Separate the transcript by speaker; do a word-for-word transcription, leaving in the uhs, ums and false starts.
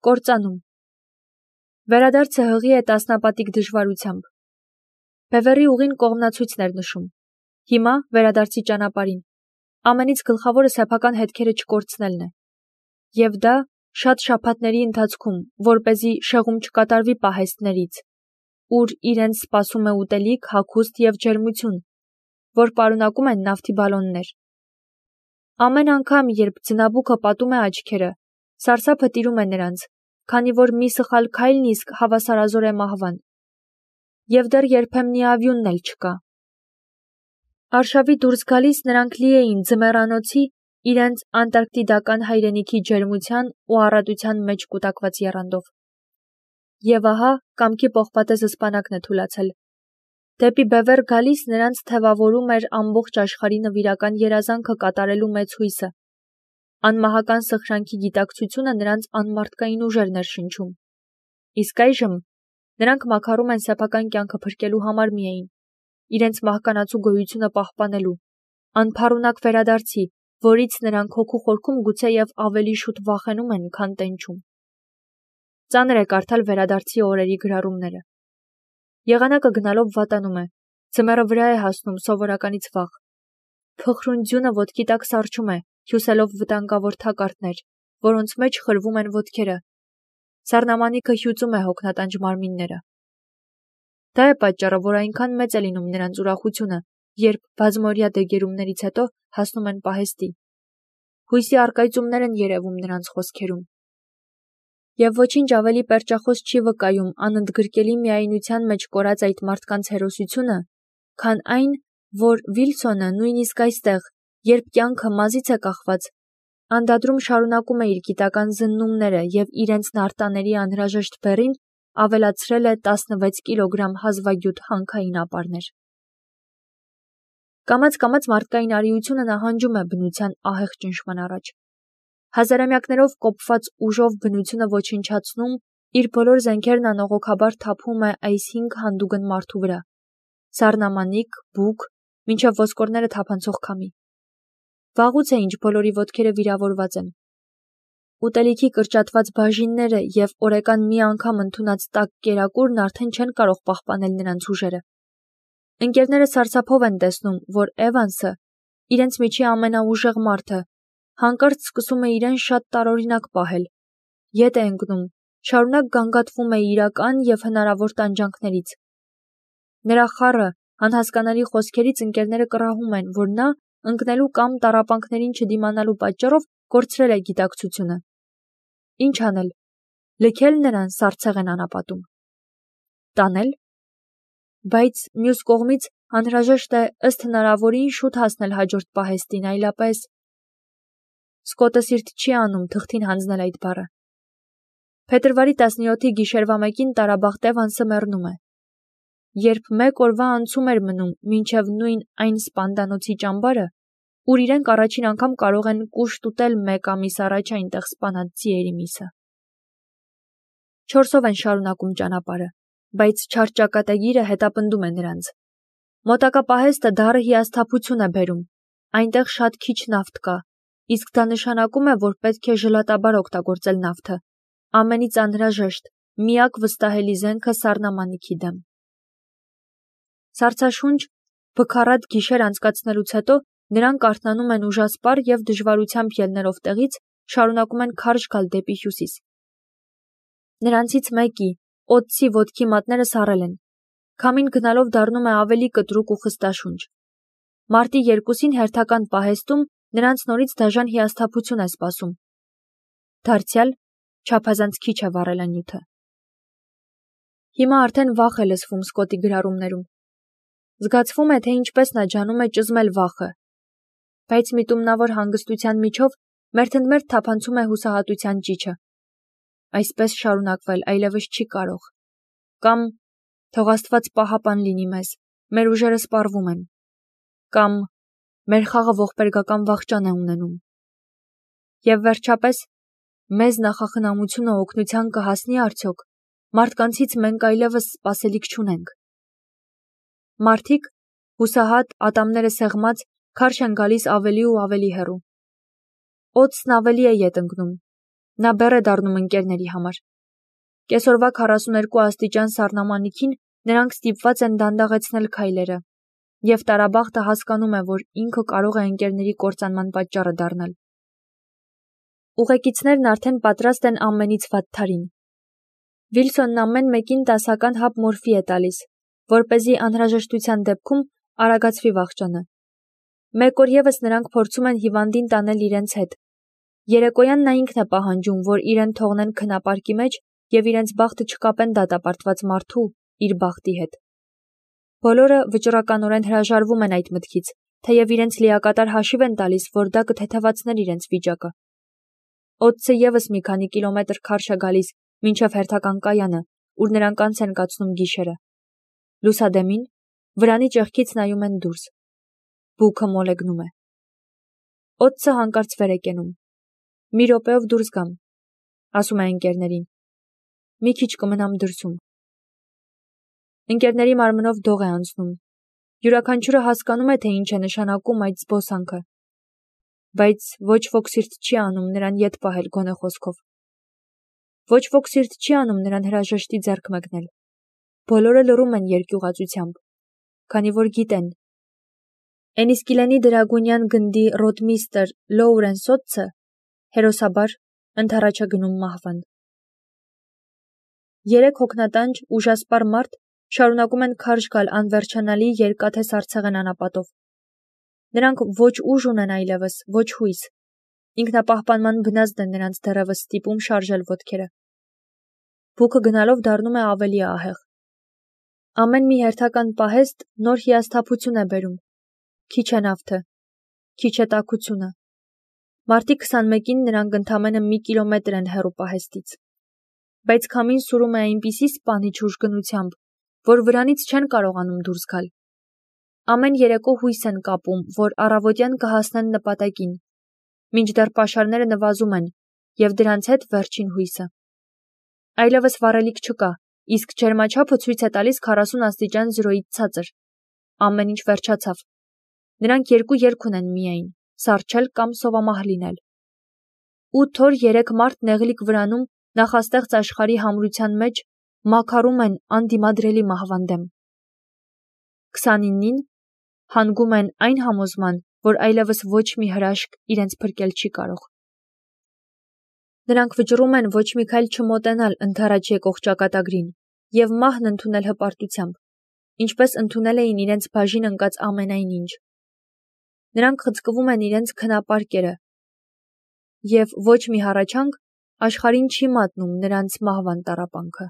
Speaker 1: Կործանում։ Վերադարձը հղի է տասնապատիկ դժվարությամբ։ Բևեռի ուղին կողմնացույցն էր նշում։ Հիմա վերադարձի ճանապարհին։ Ամենից գլխավորը սեփական հետքերը չկորցնելն է։ Եվ դա շատ շաբաթների ընթացքում, որպեսզի շեղում չկատարվի պահեստներից, ուր իրենց սպասում է ուտելիք, հագուստ և ջերմություն, որ պարունակում են նավթի բալոններ։ Ամեն անգամ, երբ ձնաբուքը պատում է աչքերը, սարսափը տիրում է նրանց, քանի որ մի սխալ քայլն իսկ հավասարազոր է մահվան։ Եվ դեռ երբեմնի ավյունն էլ չկա։ Արշավի դուրս գալիս նրանք լի էին ձմեռանոցի իրենց անտարկտիդական հայրենիքի ջերմության ու առատության մեջ կուտակված եռանդով։ Եվ ահա կամքի պողպատե զսպանակն է թուլացել։ Դեպի բևեռ գալիս նրանց թևավորում էր ամբողջ աշխարհի նվիրական երազանքը կատարելու մեծ հույսը։ Անմահական սխրանքի գիտակցությունը նրանց անմարդկային ուժեր ներշնչում։ Իսկ այժմ նրանք մաքարում են սեփական կյանքը փրկելու համար միայն, իրենց մահկանացու գոյությունը պահպանելու, անփառունակ վերադարձի, որից նրանք հոգու խորքում գուցեև ավելի շուտ վախենում են, քան տենչում։ Ծանր է կարդալ վերադարձի օրերի գրառումները։ Եղանակը գնալով վատանում է, ձմեռը վրա է հասնում սովորականից վաղ։ Փխրուն ձյունը ոտքի տակ սառչում է, հյուսելով վտանգավոր թակարդներ, որոնց մեջ խրվում են ոտքերը։ Սառնամանիքը հյուծում է հոգնատանջ մարմինները։ Դա է պատճառը, որ այնքան մեծ է լինում նրանց ուրախությունը, երբ բազմօրյա դեգերումներից հետո հասնում են պահեստի։ Հույսի առկայծումներ են երևում նրանց խոսքերում։ Եվ ոչինչ ավելի պերճախոս չի վկայում անընդգրկելի միայնության մեջ կորած այդ մարդկանց հերոսությունը, քան այն, որ Վիլսոնը նույնիսկ այստեղ, երբ կյանքը մազից է կախված, անդադրում շարունակում է իր գիտական զննումները և իրենց նարտաների անհրաժեշտ բեռին ավելացրել է տասնվեց կիլոգրամ հազվագյուտ հանքային ապարներ։ Կամաց-կամաց մարդկային արիությունը նահանջում է բնության ահեղ ճնշման առաջ։ Հազարամյակներով կոփված ուժով բնությունը ոչնչացնում, իր բոլոր զենքերն անողոքաբար թափում է այս հինգ հանդուգն մարդու վրա՝ սառնամանիք, բուք, մինչև ոսկորները թափանցող քամի։ Վաղուց է ինչ բոլորի ոտքերը վիրավորված են։ Ուտելիքի կրճատված բաժինները և օրեկան մի անգամ ընդունած տաք կերակուրն արդեն չեն կարող պահպանել նրանց ուժերը։ Ընկերները սարսափով են տեսնում, որ Էվանսը, իրենց միջի ամենաուժեղ մարդը, հանկարծ սկսում է իրեն շատ տարօրինակ պահել, ետ է ընկնում, շարունակ գանգատվում է իրական և հնարավոր տանջանքներից։ Նրա խառը, անհասկանալի խոսքերից ընկերները կռահում են, որ նա ընկնելու կամ տառապանքներին չդիմանալու պատճառով կորցրել է գիտակցությունը։ Ինչ անել։ Լքել նրան սառցեղ են անապատում։ Տանել։ Բայց մյուս կողմից անհրաժեշտ է ըստ հնարավորին շուտ հասնել հաջորդ պահեստին, այլապես… Սկոտը սիրտ չի անում թղթին հանձնել այդ բառը։ Փետրվարի տասնյոթի գիշերվա մեկին Տարաբախտ Էվանսը մեռնում է։ Երբ մեկ օրվա անցում էր մնում մինչև նույն այն սպանդանոցի ճամբարը, ուր իրենք առաջին անգամ կարող են կուշտ ուտել մեկ ամիս առաջ այնտեղ սպանած ձիերի միսը։ Չորսով են շարունակում ճանապարհը, բայց չար ճակատագիրը հետապնդում է նրանց։ Մոտակա պահեստը դառը հիասթափություն է բերում, այնտեղ շատ քիչ նավթ կա, իսկ դա նշանակում է, որ պետք է ժլատաբար օգտագործել նավթը, ամենից անհրաժեշտ, միակ վստահելի զենքը սառնամանիքի դեմ։ Սառցաշունչ, բքառատ գիշեր անցկացնելուց հետո նրանք արթնանում են ուժասպառ և դժվարությամբ ելնելով տեղից, շարունակում են քարշ գալ դեպի հյուսիս։ Նրանցից մեկի, Օտսի ոտքի մատները սառել են։ Քամին գնալով դառնում է ավելի կտրուկ ու խստաշունչ։ Մարտի երկուսին հերթական պահեստում նրանց նորից դաժան հիասթափություն է սպասում։ Դարձյալ չափազանց քիչ է վառելանյութը։ Հիմա արդեն վախ է լսվում Սկոտի գրառումներում։ Զգացվում է, թե ինչպես նա ջանում է ճզմել վախը։ Բայց միտումնավոր հանգստության միջով մերթընդմերթ թափանցում է հուսահատության ճիչը։ Այսպես շարունակվել այլևս չի կարող։ Կամ թող Աստված պահապան լինի մեզ, մեր ուժերը սպառվում են։ Կամ մեր խաղը ողբերգական վախճան է ունենում։ Եվ վերջապես, մեզ նախախնամությունը օգնության կհասնի արդյոք, մարդկանցից մենք այլևս սպասելիք չունենք։ Մարդիկ, հուսահատ, ատամները սեղմած, քարշ են գալիս ավելի ու ավելի հեռու։ Օտսն ավելի է ետ ընկնում։ Նա բեռ է դառնում ընկերների համար։ Կեսօրվա քառասուներկու աստիճան սառնամանիքին նրանք ստիպված են դանդաղեցնել քայլերը, և տարաբախտը հասկանում է, որ ինքը կարող է ընկերների կործանման պատճառը դառնալ։ Ուղեկիցներն արդեն պատրաստ են ամենից վատթարին։ Վիլսոնն ամեն մեկին տասական հապ մորֆի է տալիս, որպեսզի անհրաժեշտության դեպքում արագացվի վախճանը։ Մեկ օր ևս նրանք փորձում են հիվանդին տանել իրենց հետ։ Երեկոյան նա ինքն է պահանջում, որ իրեն թողնեն քնապարկի մեջ և իրենց բախտը չկապեն դատապարտված մարդու իր բախտի հետ։ Բոլորը վճռականորեն հրաժարվում են այդ մտքից, թեև իրենց լիակատար հաշիվ են տալիս, որ դա կթեթևացներ իրենց վիճակը։ Օդսը ևս մի քանի կիլոմետր քարշ է գալիս մինչև հերթական կայանը, ուր նրանք անց են կացնում գիշերը։ Լուսադեմին վրանի ճեղքից նայում են դուրս։ Բուքը մոլեգնում է։ Օդսը հանկարծ վեր է կենում։ Մի րոպեով դուրս գամ, ասում է ընկերներին։ Մի քիչ կմնամ դրսում։ Ընկերների մարմնով դող է անցնում։ Յուրաքանչյուրը հասկանում է, թե ինչ է նշանակում այդ զբոսանքը։ Բայց ոչ ոք սիրտ չի անում նրան ետ պահել գոնե խոսքով։ Ոչ ոք սիրտ չի անում նրան հրաժեշտի ձեռք մեկնել։ Բոլորը լռում են երկյուղածությամբ, քանի որ գիտեն։ Էնիսկիլենի դրագունյան գնդի ռոտմիստր Լոուրենս Օտսը հերոսաբար ընդառաջ է գնում մահվան։ Երեք հոգնատանջ ուժասպառ մարդ շարունակում են քարշ գալ անվերջանալի երկաթե սառցեղեն անապատով։ Նրանք ոչ ուժ ունեն այլևս, ոչ հույս։ Ինքնապահպանման բնազդն է նրանց դեռևս ստիպում շարժել ոտքերը։ Բուքը գնալով դառնում է ավելի ահեղ։ Ամեն մի հերթական պահեստ նոր հիասթափություն է բերում։ Քիչ է նավթը, քիչ է տաքությունը։ Մարտի քսանմեկին նրանք ընդամենը մի կիլոմետր են հեռու պահեստից։ Բայց քամին սուրում է այնպիսի սպանիչ ուժգնությամբ, որ վրանից չեն կարողանում դուրս գալ։ Ամեն երեկո հույս են կապում, որ առավոտյան կհասնեն նպատակին, մինչդեռ պաշարները նվազում են, և դրանց հետ վերջին հույսը։ Այլևս վառելիք չկա, իսկ ջերմաչափը ցույց է տալիս քառասուն աստիճան զրոյից ցածր։ Ամեն ինչ վերջացավ։ Նրանք երկու երկ ունեն միայն՝ սառչել կամ սովամահ լինել։ Ութ օր երեք մարդ նեղլիկ վրանում նախաստեղծ աշխարհի համրության մեջ մաքարում են անդիմադրելի մահվան դեմ։ քսանինին հանգում են այն համոզման, որ այլևս ոչ մի հրաշք իրենց փրկել չի կարող։ Նրանք վճռում են ոչ մի քայլ չմոտենալ ընդառաջ եկող ճակատագրին և մահն ընդունել հպարտությամբ, ինչպես ընդունել էին իրենց բաժին ընկած ամենայն ինչ։ Նրանք խցկվում են իրենց քնապարկերը, և ոչ մի հառաչանք աշխարհին չի մատնում նրանց մահվան տառապանքը։